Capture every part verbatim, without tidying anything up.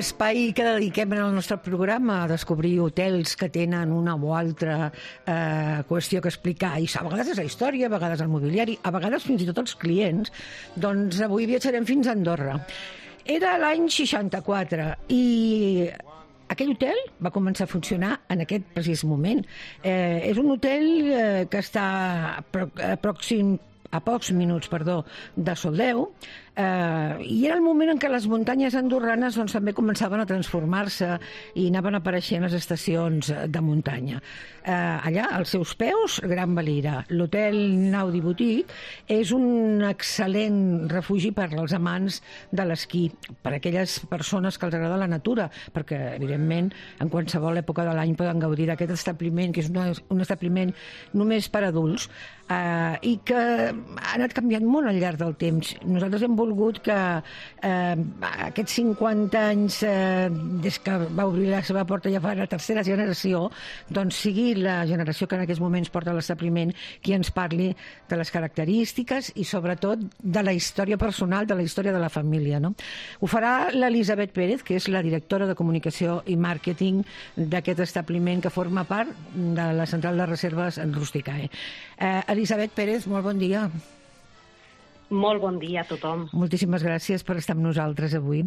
l'espai que dediquem en el nostre programa a descobrir hotels que tenen una o altra eh, qüestió que explicar, i a vegades és la història, a vegades el mobiliari, a vegades fins i tot els clients, doncs avui viatjarem fins a Andorra. Era l'any seixanta-quatre i aquell hotel va començar a funcionar en aquest precís moment. Eh, és un hotel eh, que està pròxim a pocs minuts, perdó, de Soldeu, eh, i era el moment en què les muntanyes andorranes doncs, també començaven a transformar-se i anaven apareixent les estacions de muntanya. Eh, allà, als seus peus, Gran Valira. L'hotel Naudi Boutique és un excel·lent refugi per als amants de l'esquí, per a aquelles persones que els agrada la natura, perquè, evidentment, en qualsevol època de l'any poden gaudir d'aquest establiment, que és una, un establiment només per adults, eh, i que ha anat canviant molt al llarg del temps. Nosaltres hem volgut que eh, aquests cinquanta anys eh, des que va obrir la seva porta ja fa la tercera generació, doncs sigui la generació que en aquests moments porta l'establiment qui ens parli de les característiques i sobretot de la història personal, de la història de la família, no? Ho farà l'Elisabet Pérez, que és la directora de comunicació i màrqueting d'aquest establiment que forma part de la central de reserves en Rusticae. Eh, Elisabet Pérez, molt bon dia. Molt bon dia a tothom. Moltíssimes gràcies per estar amb nosaltres avui.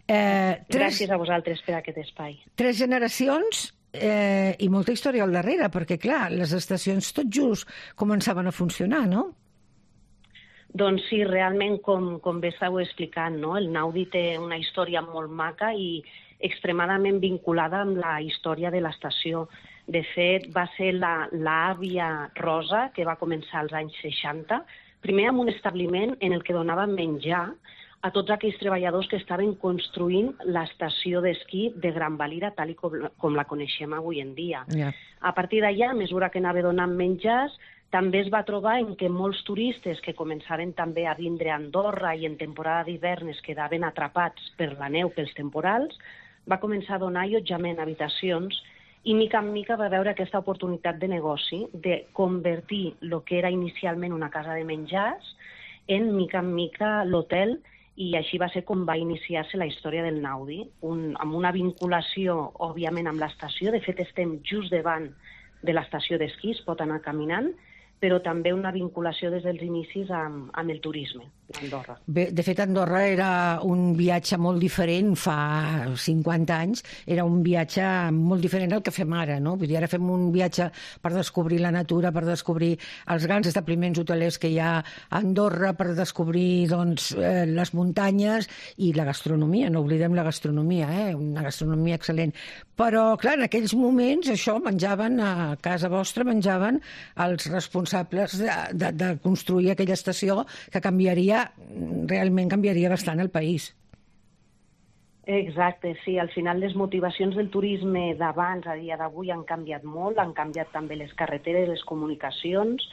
Eh, tres, gràcies a vosaltres per aquest espai. Tres generacions eh, i molta història al darrere, perquè, clar, les estacions tot just començaven a funcionar, no? Doncs sí, realment, com, com bé estàu explicant, no? El Naudi té una història molt maca i extremadament vinculada amb la història de l'estació. De fet, va ser l'àvia Rosa, que va començar als anys seixanta, primer amb un establiment en el que donava menjar a tots aquells treballadors que estaven construint l'estació d'esquí de Gran Valira, tal com, com la coneixem avui en dia. Yeah. A partir d'allà, a mesura que anava donant menjars, també es va trobar en què molts turistes que començaven també a vindre a Andorra i en temporada d'hivern es quedaven atrapats per la neu, pels temporals, va començar a donar allotjament a habitacions i mica en mica va veure aquesta oportunitat de negoci de convertir el que era inicialment una casa de menjars en mica en mica l'hotel, i així va ser com va iniciar-se la història del Naudi, un, amb una vinculació, òbviament, amb l'estació. De fet, estem just davant de l'estació d'esquí, es pot anar caminant, però també una vinculació des dels inicis amb, amb el turisme d'Andorra. Bé, de fet, Andorra era un viatge molt diferent fa cinquanta anys, era un viatge molt diferent al que fem ara, no? Vull dir, ara fem un viatge per descobrir la natura, per descobrir els grans establiments hotelers que hi ha a Andorra, per descobrir doncs, eh, les muntanyes i la gastronomia, no oblidem la gastronomia, eh? Una gastronomia excel·lent. Però, clar, en aquells moments, això, menjaven, a casa vostra, menjaven els responsables de, de, de construir aquella estació que canviaria, realment canviaria bastant el país. Exacte, sí. Al final les motivacions del turisme d'abans a dia d'avui han canviat molt, han canviat també les carreteres, les comunicacions.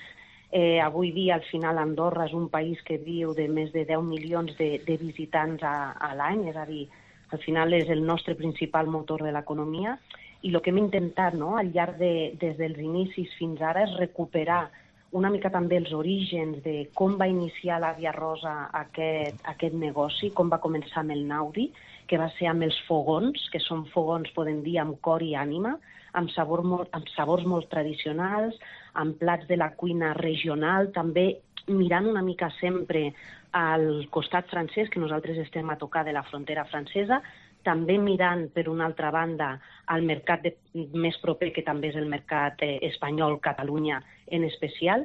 Eh, avui dia, al final, Andorra és un país que viu de més de deu milions de, de visitants a, a l'any, és a dir, al final és el nostre principal motor de l'economia, i el que hem intentat, no?, al llarg de, des dels inicis fins ara és recuperar una mica també els orígens de com va iniciar l'àvia Rosa aquest, aquest negoci, com va començar amb el Naudi, que va ser amb els fogons, que són fogons, podem dir, amb cor i ànima, amb, sabor molt, amb sabors molt tradicionals, amb plats de la cuina regional, també mirant una mica sempre al costat francès, que nosaltres estem a tocar de la frontera francesa, també mirant, per una altra banda, al mercat de, més proper, que també és el mercat eh, espanyol, Catalunya en especial,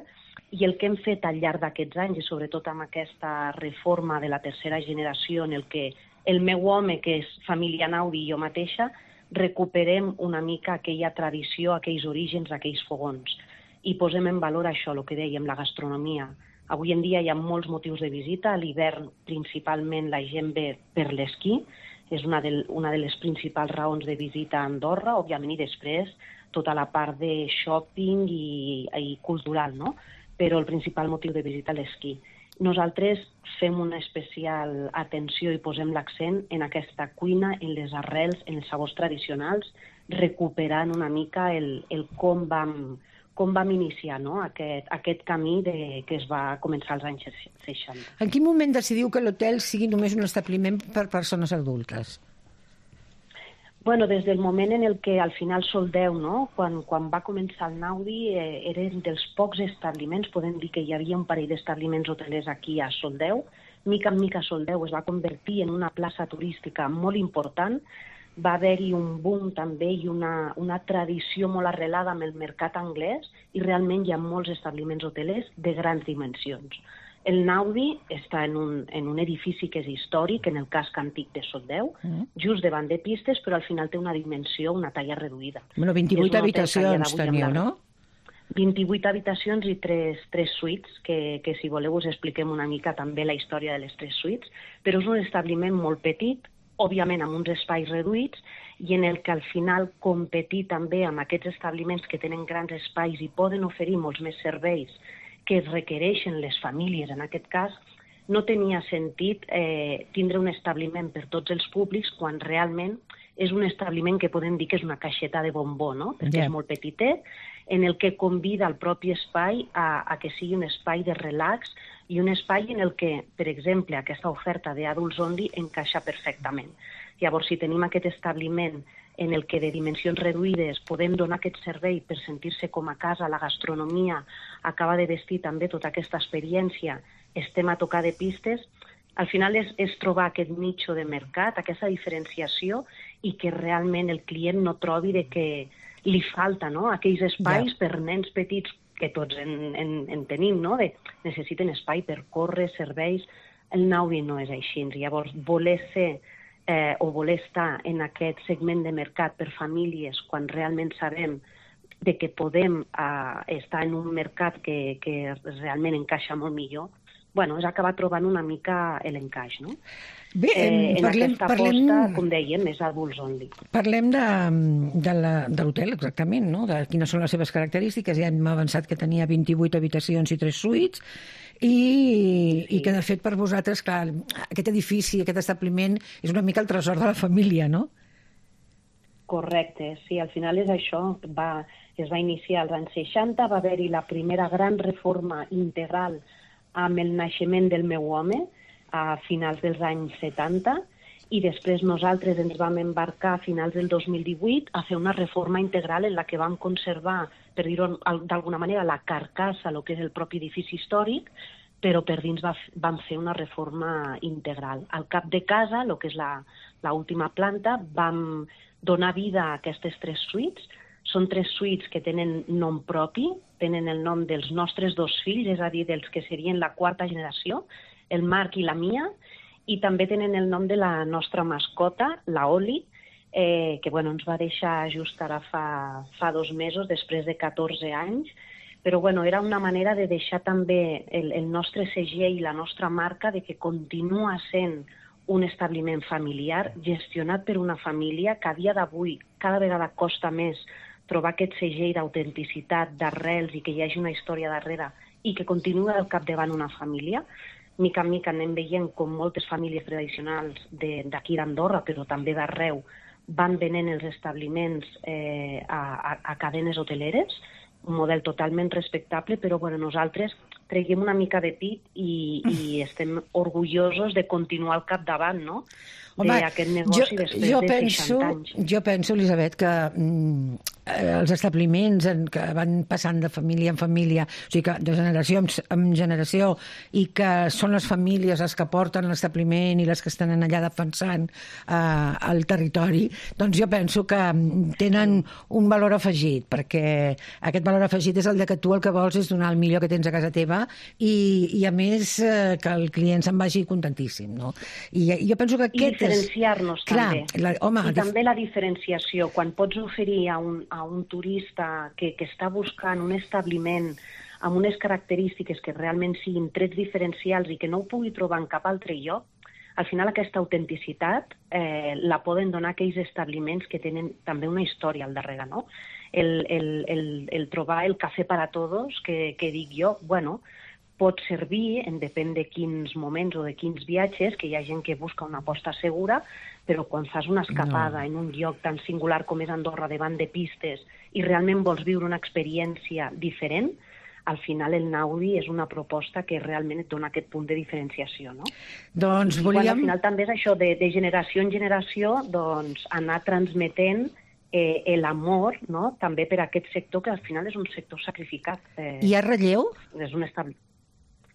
i el que hem fet al llarg d'aquests anys, i sobretot amb aquesta reforma de la tercera generació, en el que el meu home, que és família Naudi, i jo mateixa, recuperem una mica aquella tradició, aquells orígens, aquells fogons, i posem en valor això, el que dèiem, la gastronomia. Avui en dia hi ha molts motius de visita, a l'hivern principalment la gent ve per l'esquí, és una de, una de les principals raons de visita a Andorra, òbviament, i després tota la part de shopping i, i cultural, no? Però el principal motiu de visita és l'esquí. Nosaltres fem una especial atenció i posem l'accent en aquesta cuina, en les arrels, en els sabors tradicionals, recuperant una mica el, el com vam, com vam iniciar, no?, aquest, aquest camí de, que es va començar als anys seixanta. En quin moment decidiu que l'hotel sigui només un establiment per persones adultes? Bueno, des del moment en el que al final Soldeu, no? quan, quan va començar el Naudi, eh, eren dels pocs establiments, podem dir que hi havia un parell d'establiments hotelers aquí a Soldeu. Mica en mica Soldeu es va convertir en una plaça turística molt important, va haver-hi un boom també i una, una tradició molt arrelada amb el mercat anglès i realment hi ha molts establiments hotelers de grans dimensions. El Naudi està en un, en un edifici que és històric, en el casc antic de Soldeu, mm. just davant de pistes, però al final té una dimensió, una talla reduïda. Bueno, vint-i-vuit habitacions teniu, no? vint-i-vuit habitacions i tres, tres suites, que, que si voleu us expliquem una mica també la història de les tres suites, però és un establiment molt petit, òbviament amb uns espais reduïts, i en el que al final competir també amb aquests establiments que tenen grans espais i poden oferir molts més serveis que es requereixen les famílies, en aquest cas, no tenia sentit eh, tindre un establiment per tots els públics quan realment és un establiment que podem dir que és una caixeta de bombó, no? Perquè yeah. és molt petitet, en el que convida el propi espai a, a que sigui un espai de relax i un espai en el que, per exemple, aquesta oferta d'adults only encaixa perfectament. Llavors, si tenim aquest establiment en el que de dimensions reduïdes podem donar aquest servei per sentir-se com a casa, la gastronomia acaba de vestir també tota aquesta experiència, estem a tocar de pistes, al final és, és trobar aquest nicho de mercat, aquesta diferenciació i que realment el client no trobi de que li falta, no? Aquells espais yeah. per nens petits que tots en, en, en tenim, no? De, necessiten espai per córrer, serveis. El Naudi no és així. Llavors, voler ser Eh, o voler estar en aquest segment de mercat per famílies quan realment sabem de que podem eh, estar en un mercat que, que realment encaixa molt millor, bueno, és acabar trobant una mica l'encaix, no? Bé, eh, en parlem, aquesta parlem, aposta, com dèiem, és adults only. Parlem de, de, la, de l'hotel, exactament, no? De quines són les seves característiques. Ja hem avançat que tenia vint-i-vuit habitacions i tres suites, i, sí. i que, de fet, per vosaltres, clar, aquest edifici, aquest establiment, és una mica el tresor de la família, no? Correcte, sí, al final és això. Va, es va iniciar als anys seixanta, va haver-hi la primera gran reforma integral amb el naixement del meu home, a finals dels anys setanta, i després nosaltres ens vam embarcar a finals del dos mil divuit a fer una reforma integral en la que vam conservar, per dir-ho d'alguna manera, la carcassa, el que és el propi edifici històric, però per dins va, vam fer una reforma integral. Al cap de casa, el que és l'última planta, vam donar vida a aquestes tres suites. Són tres suites que tenen nom propi, tenen el nom dels nostres dos fills, és a dir, dels que serien la quarta generació, el Marc i la Mia, i també tenen el nom de la nostra mascota, la Oli, eh, que bueno, ens va deixar just ara fa, fa dos mesos, després de catorze anys, però bueno, era una manera de deixar també el, el nostre segell i la nostra marca de que continua sent un establiment familiar gestionat per una família que a dia d'avui cada vegada costa més trobar aquest segell d'autenticitat, d'arrels i que hi hagi una història darrere i que continua al capdavant una família. Mica en mica anem veient com moltes famílies tradicionals d'aquí d'Andorra, però també d'arreu, van venent els establiments eh, a, a, a cadenes hoteleres, un model totalment respectable, però bueno, nosaltres treguem una mica de pit i, i estem orgullosos de continuar al capdavant, no? d'aquest negoci jo, després jo de penso, seixanta anys. Jo penso, Elisabet, que mm, els establiments en, que van passant de família en família, o sigui que de generació en generació, i que són les famílies les que porten l'establiment i les que estan allà defensant eh, el territori, doncs jo penso que tenen un valor afegit, perquè aquest valor afegit és el de que tu el que vols és donar el millor que tens a casa teva i, i a més eh, que el client se'n vagi contentíssim, no? I jo penso que aquest diferenciar-nos també. La, home, I també la diferenciació. Quan pots oferir a un, a un turista que, que està buscant un establiment amb unes característiques que realment siguin trets diferencials i que no ho pugui trobar en cap altre lloc, al final aquesta autenticitat eh, la poden donar aquells establiments que tenen també una història al darrere, no? El, el, el, el trobar el cafè per a tots, que, que dic jo, bueno, pot servir, en depèn de quins moments o de quins viatges, que hi ha gent que busca una aposta segura, però quan fas una escapada no. en un lloc tan singular com és Andorra, davant de pistes, i realment vols viure una experiència diferent, al final el Naudi és una proposta que realment et dona aquest punt de diferenciació, no? Doncs I, volíem... bueno, al final també és això, de, de generació en generació, doncs anar transmetent eh, l'amor, no?, també per a aquest sector, que al final és un sector sacrificat. Eh, Hi ha relleu? És un estab...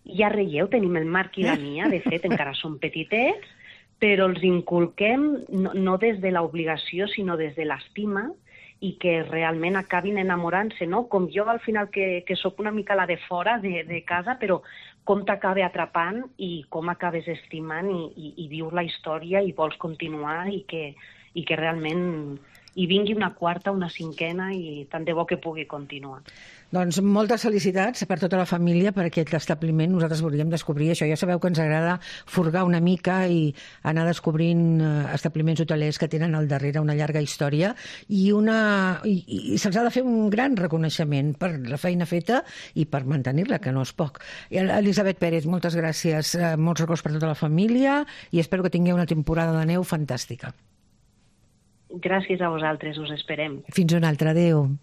Hi ha relleu, tenim el Marc i la Mia, de fet, encara són petitets, però els inculquem no, no des de l'obligació, sinó des de l'estima, i que realment acabin enamorant-se, no? Com jo al final, que, que sóc una mica la de fora de, de casa, però com t'acaba atrapant i com acabes estimant i, i, i vius la història i vols continuar i que, i que realment hi vingui una quarta, una cinquena i tant de bo que pugui continuar. Doncs moltes felicitats per tota la família per aquest establiment. Nosaltres volíem descobrir això. Ja sabeu que ens agrada furgar una mica i anar descobrint establiments hotelers que tenen al darrere una llarga història i, una... I, i se'ls ha de fer un gran reconeixement per la feina feta i per mantenir-la, que no és poc. Elisabet Pérez, moltes gràcies. Molts records per tota la família i espero que tingueu una temporada de neu fantàstica. Gràcies a vosaltres, us esperem. Fins una altra. Adéu.